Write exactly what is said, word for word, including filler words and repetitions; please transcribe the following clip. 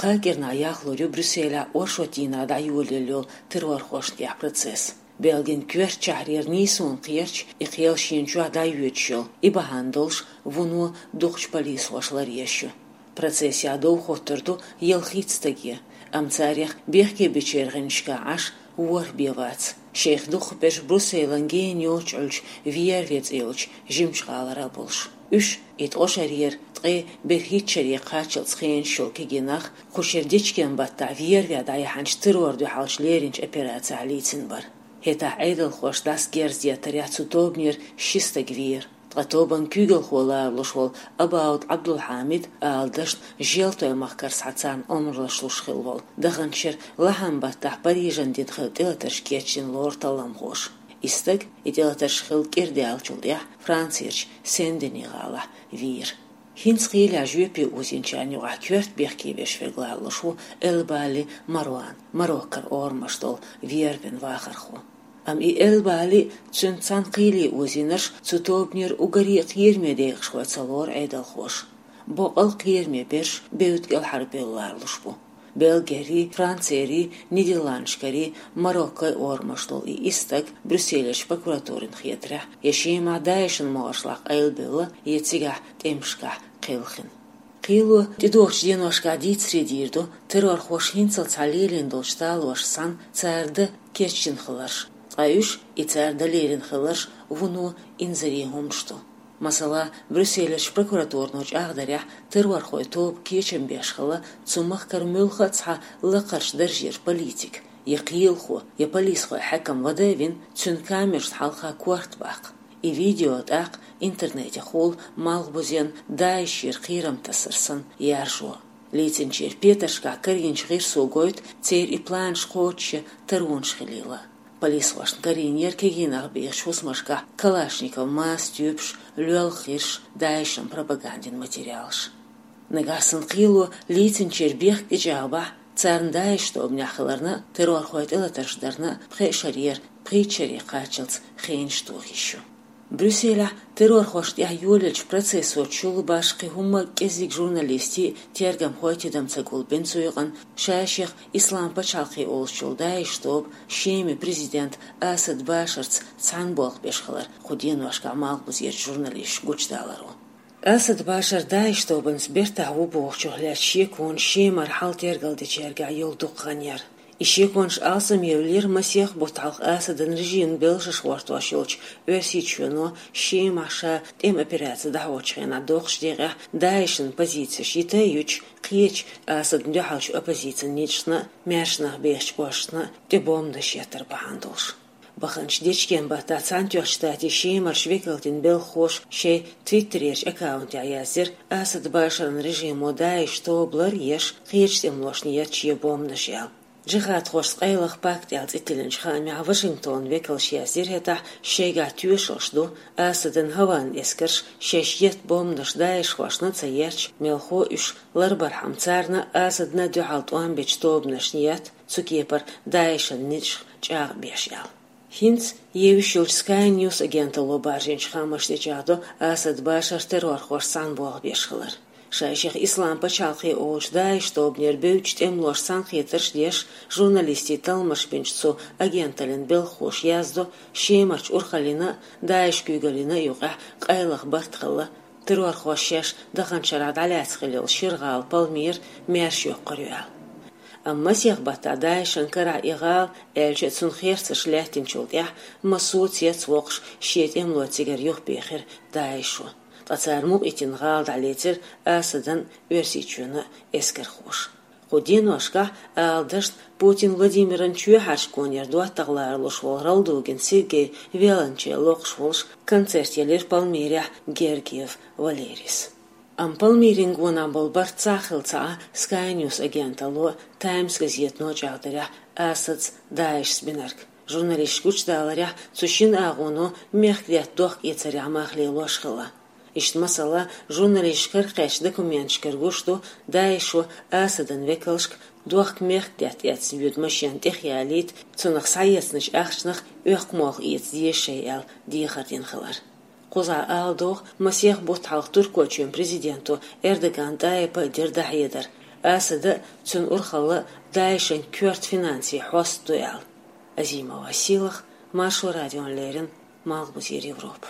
Кхаа кӀирнахь яхлур ю Брюсселехь оршот дийнахь дӀайолаелла йолу террорхошна тӀехь процесс. Белгин коьртачохь хьерча нийсонан кхерч и кхел шена чохь дӀайоьдуш йолу, и бахьана долуш вуно дукхачу полисхоша ларъеш ю. Процессехь дов хӀоттур ду ялхитта стаге, амма царех бехке бечеран гӀанташкахь Ӏаш ворхӀ бен вац. Шайх дукхахберш Брюсселан гена йоцчу Ӏуьллучу Вервье цӀе йолчу жимачу гӀалара болуш. Уьш, и ткъа шарера ткъе берхӀитта шаре кхаччалц хенаш йолу кегий нах, кху шеран дечкен-баттахь Вервье дӀаяьхьначу террор дуьхьалчу леринчу операцехь лийцина бара. ХӀетахь Ӏедалхоша дӀасагерз деттарехь цу тобанера ши стаг вийра. Ткъа тобанан куьйгалхо ларалуш волу Абауд Ӏабдулхьамид, ала дашна, Желтойн махкара схьа царна омралш луш хилла волу, даханчу шеран лахьан-баттахь Парижан дина хилла тӀелатарш кечдина лору талламхоша. И стаг, и тӀелатарш хилла кӀира даьллачул тӀаьхьа, Францерчу Сен-Дени гӀалахь вийра. ХӀинца кхелехь жоьпе озийначарна юкъахь коьрта бехке берш верг ларалуш ву Эльбали Марван, Мароккара орамаш долу Вервьен вахархо. Амма и Эльбали а, цуьнца цхьаьна кхеле озийнарш цу тобанера уггаре а кхераме декъашхой ца лору Ӏедалхоша. Боккъал а кхераме берш бевдда кӀелхьарбевлла ларалуш бу. Бельгерий, Францерий, Нидерландашкарий, Мароккойн орамаш долу и исс стаг Брюсселерчу прокуратурина хетарехь, я Шемахь ДАИШан могӀаршлахь къайлабевлла, я цигахь тӀемашкахь кхелхина. Кхело тӀедогӀучу деношкахь дийцаре дийр ду, террорхоша хӀинццалц схьа лелийна долчу талоршца цхьаьна цара дан кечдина хиларш, ткъа уьш, и цара дан лерина хиларш, вуно инзаре хӀуманаш ду. Масала, Брюсселерчу прокуратуро чӀагӀдарехь, террорхойн тоба кечам беш хилла цу махкара муьлхха а цхьа лакхарчу даржера политик, я кхелахо, я полисхойн хьаькам вада а вина, цуьнан камерашна хьалха корта баккха. И видео тӀаккха интернетехула малхбузен ДАИШера кхерам тасар санна яржо. Лийцинчеран петаршкахь карийначу гӀирсо гойту церан и планаш кхочушъян таронаш хилийла. Полисхошна карийнера кегийнах бехачу хӀусамашкахь калашников маса тюбаш, лоьлхуш гӀирсаш, ДАИШан пропагандин материалаш. Нагахь санна кхело лийцинчеран бехк тӀечӀагӀбахь, царна ДАИШ тобанехь хиларна а, террорхойн тӀелатарш дарна а пхеа шарера пхийтта шаре кхаччалц хенаш тоха йиш ю. Брюсселехь террорхошна тӀехь йолаеллачу процессо чулла башха кхин хӀумма а кӀеззиг журналистий а, тергамхой а тидам ца гулбина цу юкъана, ша-шех Ислам пачхьалкхе олуш йолу ДАИШ тоба Шеман президент Асад Башарца цхьаьна болх беш хилар кху деношкахь малхбузерчу журналисташа гучудаларо. Асад Башар ДАИШ тобанца бертахь ву бохучух лаьцна шеконаш Шемара хьал тергалдечаьргахь йолу дукха хан яра. И шеконаш алсамъевлира масех бутт хьалха Асадан режимна белшаш гӀортош йолчу Оьрсийчоьно Шемахь ша тӀеман операци дӀахьочу хенахь доккхачу декъехь ДАИШан позицеш йита а юча, кхечу Асадна дуьхьалчу оппозицин ницкъашна а, маьрша нах бехачу кӀошташна а тӀе бомбанаш еттар бахьана долуш. Баханчу дечкен-баттахь Цхьаьнатоьхначу Штатийн Шемарчу векалтийн белхахоша шайн Твиттерерчу аккаунтехь яздира, Асад Башаран режимо ДАИШ тоба лар а еш, кхечу тӀемалошна етта шен бомбанаш аьлла. Джихадхошца къайлаха пакт аьлла цӀе тиллинчу хаамехь Вашингтонан векалша яздира хӀетахь, шайгахь тоьшаллаш ду, Асадан хӀаваан эскарша шаьш етта бомбанаш даишхошна а ца етташ, мелхо а уьш ларбархьама царна а, Асадна а дуьхьал тӀом бечу тобанашна етта, цу кепара ДАИШан ницкъашка чӀагӀ беш аьлла. ХӀинца евзаш йолчу Sky News агенталло баржийначу хаамашца тӀечӀагӀдо Асад Башар террорхошца цхьаьна болх беш хилар. Ша-шех Ислам пачхьалкхе олучу ДАИШ тобанера бевддачу тӀемалошца цхьаьнакхетарш а деш, журналистийн талламаш бинчу цу агенталлин белхахоша яздо, Шемарчу урхаллина а, ДАИШ куьйгаллина а юкъахь къайлаха барт хилла, террорхоша шаьш даханчу шарахь дӀалаьцна хилла йолу шира гӀала Пальмира маьрша йоккхур ю аьлла. Амма масех баттахь ДАИШан карахь и гӀала, аьлча а, цунна херцарш лаьттинчул тӀаьхьа массо а цецвоккхуш, шен тӀемалой цигара юхабехира ДАИШо. Ткъа цара мукъайитина гӀала дӀалецира Асадан а, Оьрсийчоьнан а эскархоша. Кху деношкахь, ала дашна, Путин Владимиран чоьхьарчу гонера доттагӀа ларалуш волу Ралдугин Сергей виолончель локхуш волуш концерт елира Пальмирехь Гергиев Валерийс. Амма Пальмирин гонах болу барт цхьа а хилла ца Ӏа, Sky News агенталло, Times газето чӀагӀдарехь, Асадца, ДАИШца бинарг. Журналисташа гучудаларехь, цу шина агӀоно мехкдаьтта дохка эцарехь мах лелош хилла. Иштта, масала, журналисташа каракхаьчначу документашкара гуш ду, ДАИШо Асадан векалшка дохка мехкдаьтта эцна йоьду машен тӀехъялийта, цунах схьаэцначу ахчанах оьккху молха эца деза шайн аьлла дехар дина хилар. Кхузахь ала догӀу, масех бутт хьалха Туркойчоьнан президенто Эрдоган ТӀайипа а дира дӀахьедар, Асада а, цун урхалла а ДАИШ-ан коьрта финансийн хьост ду аьлла. Азимова Силах, Маршо радиона леррина, Малхбузера Европа.